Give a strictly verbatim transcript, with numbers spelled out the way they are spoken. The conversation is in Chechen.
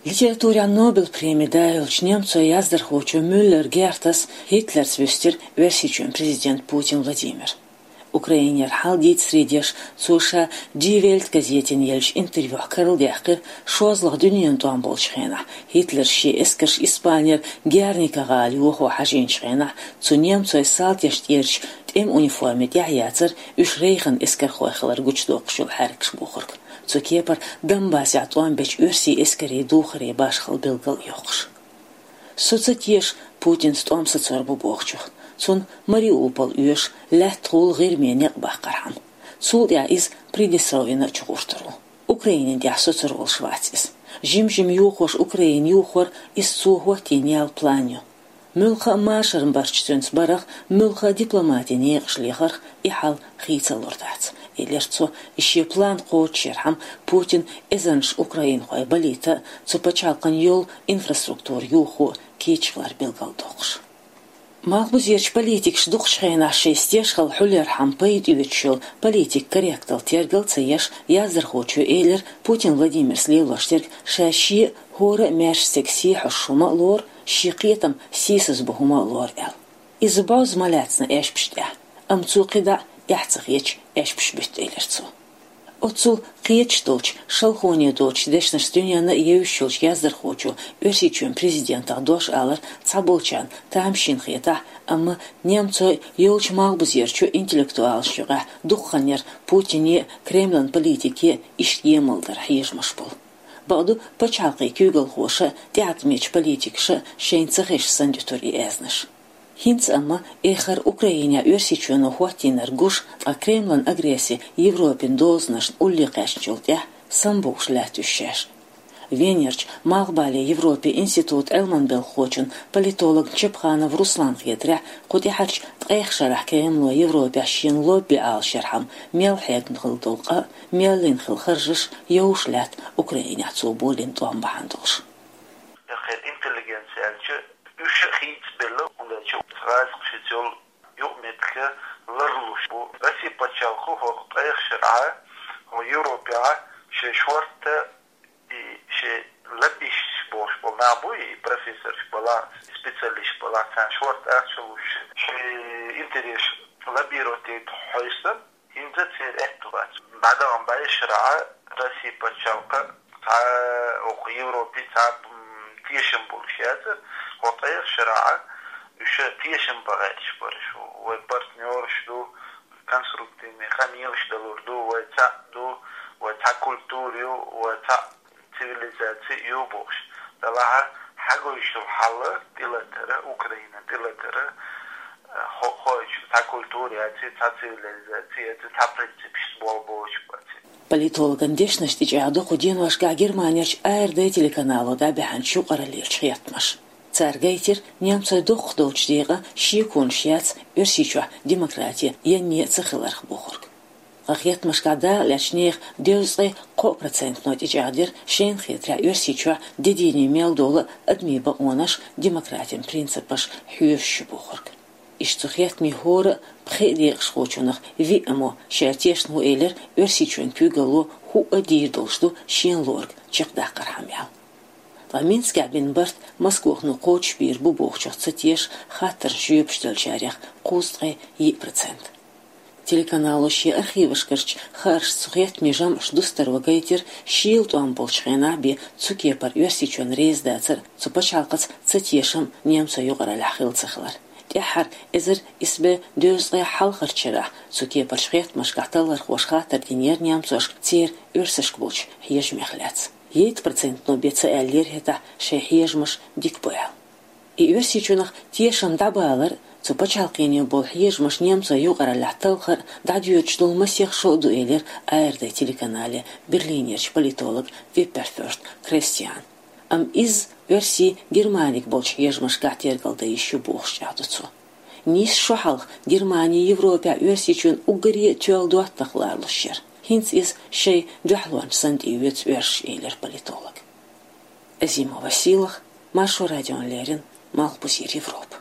Литературин Нобель-преми дӀаяьлча немцойн яздархочо Мюллер Гертас Гитлерца вуьстира Оьрсийчоьнан президент Путин Владимир. Украинера хьал дийца средеш, цо ша Die Welt газетана еллачу интервьюхь карладаьккхира, шозлагӀа дуьненан тӀом болчу хенахь, Гитлера шен эскарш Испанера Герника гӀала йохо хьажийначу хенахь, цу немцойн салташна тӀерачу тӀеман униформи тӀехь яцара уьш Рейхан эскархой хилар гучудоккхуш йолу хьаьркаш бохург. Цу кепара Донбассехь тӀом бечу оьрсийн эскарийн духаре башхалла билгал а йоккхуш. Со ца теша Путинца тӀом сацор бу бохучух. Цунна Мариуполь оьшу, лаьттахула ГӀирме некъ баккхархьама. Цул тӀаьхьа иза Приднестровьена а чугӀуртур ву. Украинина тӀехь соцур волуш вац иза. Жим-жима йохош Украина юхор, иза цо хӀоттийна ял план ю. Муьлхха а машаран барт цуьнца барах, муьлхха а дипломатин некъаш лехарх и хьал хийцалур дац, элира цо, и шен план кхочушъярхьама Путин эзарнаш украинхой балийта а, цу пачхьалкхана йолу инфраструктура юхо кийча хилар билгалдоккхуш. Малхбузерчу политикаша дукхачу хенахь шайн стежхалла хьулъярхьама пайда оьцуш йолу политикан корректалла тергал ца еш, яздархочо элира, Путин Владимирс лелош дерг ша шен а, хӀора а маьрша стеган сий хьожуш хӀума а лору, шен кхетам сийсазбо хӀума а лору аьлла. Иза бӀозза ма лаьцна аьшпаш тӀехь, амма цо кхидӀа а эхь ца хеташ аьшпаш буьту, элира цо. Оццул кхеташ долчу, шалхоне доцучу дешнашца дуьненна а евзаш йолчу яздархочо Оьрсийчоьнан президентах дош алар цхьаболчарна тамашийна хетахь а, амма немцойн а, йолчу малхбузерчу интеллектуалашна юкъахь дукха хан яра Путине а, Кремлан политике а иштта емал дар хьежамаш болу. Бакъду, пачхьалкхийн куьйгалхоша а, тӀеӀаткъамечу политикаша а шайна ца хезаш санна дуьтура и аьзнаш. ХӀинца амма, эххар Украинехь Оьрсийчоьно хӀоттийнарг гуш, ткъа Кремлан агресси Европин дозанашна улле кхаьчначул тӀаьхьа самабогуш лаьтта уьш шаьш. Венерчу Малхбале Европин институтан Ӏилманан белхахочун, политологан Чепханов Русланна хетарехь, кху тӀаьхьарчу ткъех шарахь Кремло Европехь шена лобби Ӏалашъярхьама мел хьегна хилла долу къа а, мел йина хилла харжаш а йовш лаьтта Украинехь цо болийна тӀом бахьана долуш. Кхин интеллигенция аьлча, уьш а хийцабелла, хӀунда аьлча гӀазкхашца йолу юкъаметтиг ларлуш бу. Россин пачхьалкхо хӀокху ткъех шарахь хӀокху Европехь шайн шорта и шайн лоббисташ бохуш болу нах бу, и профессорш балахь, специалисташ балахь, царна шорта ахча луш, шайн интересаш лоббировать яйта хьовсуш, хӀинца церан аьтто бац. ДӀадаханчу бӀешарахь Россин пачхьалкх цхьа а, хӀокху Европе цхьа а, м, тешам болуш яцара, хӀокху ткъех шарахь уьш тешам бан гӀерташ бара, шу вай партнерш ду, конструктивный къамелаш далур ду, вай цхьаъ ду, вай цхьа культура ю, вай цхьа цивилизаци ю бохуш. Делахь хьагойтуш долу хьал тӀелатар, Украина тӀелатар, хо-, хо-, цхьа культура яц, цхьа цивилизаци яц, цхьа принципаш болх беш бац. Политологан дешнаш тӀечӀагӀдо кху деношкахь Германерчу АРД телеканало дӀабаьхьначу юкъараллерчу хеттамаша. Цара гайтира немцойн доккхах долчу декъан шеконаш яц Оьрсийчохь демократи янне а ца хиларх бохург. Ткъа хеттамашкахь дакъалаьцначу нехан дезткъе кхо процентано тӀечӀагӀдира, шайна хетарехь, Оьрсийчохь де дийне мел долу адамийн бакъонаш, демократин принципаш хьоьжуш ю бохург. Иштта цу хеттамийн хӀора а пхи декъашхочунах виъ мо шаьш тешна ву элира, Оьрсийчоьнан куьйгалло хӀуъа а дийр долуш ду шена лоруг чекхдаккхархьама аьлла. Ткъа Минскехь бина барт Москвахь кхочушбийр бу бохучух ца теша, хаттарна жоьпаш деллачарех кхузткъе йиъ процент. Телеканало шен архивашкарчу хааршца цу хеттамийн жамӀаш дустарва гайтира, шийла тӀом болчу хенахь бен цу кепара Оьрсийчоьнна реза дацар, цу пачхьалкхаца ца тешам немцойн юкъараллехь хилла ца хилар. ТӀаьххьара, эзар исс бӀе дезткъе хьалхарчу шарахь, цу кепарчу хеттамашкахь таллархоша хаттар динера немцошка церан оьрсашка болчу хьежамех лаьцна. Ейта процентано бен ца аьллера хӀетахь шайн хьежамаш дика бу аьлла. И Оьрсийчунах тешам дӀабалар а, цу пачхьалкхене болу хьежамаш немцойн юкъараллехь талхар а дӀадоьдуш долу масех шо а ду, элира АРД телеканале Берлинерчу политолог Випперфёрст Кристиана. Амма иза оьрсийн Германига болчу хьежамашкахь тергал дан йиш ю бохуш чӀагӀдо цо. Нийсса шо хьалха Германи Европехь Оьрсийчоьнан уггаре а тоьлла доттагӀа лоруш яра. ХӀинца иза шайн дуьхьалонча санна тӀеоьцу оьрсаша, элира политолога. Азимова Сийлаха, Маршо радиона леррина, Малхбузера Европа.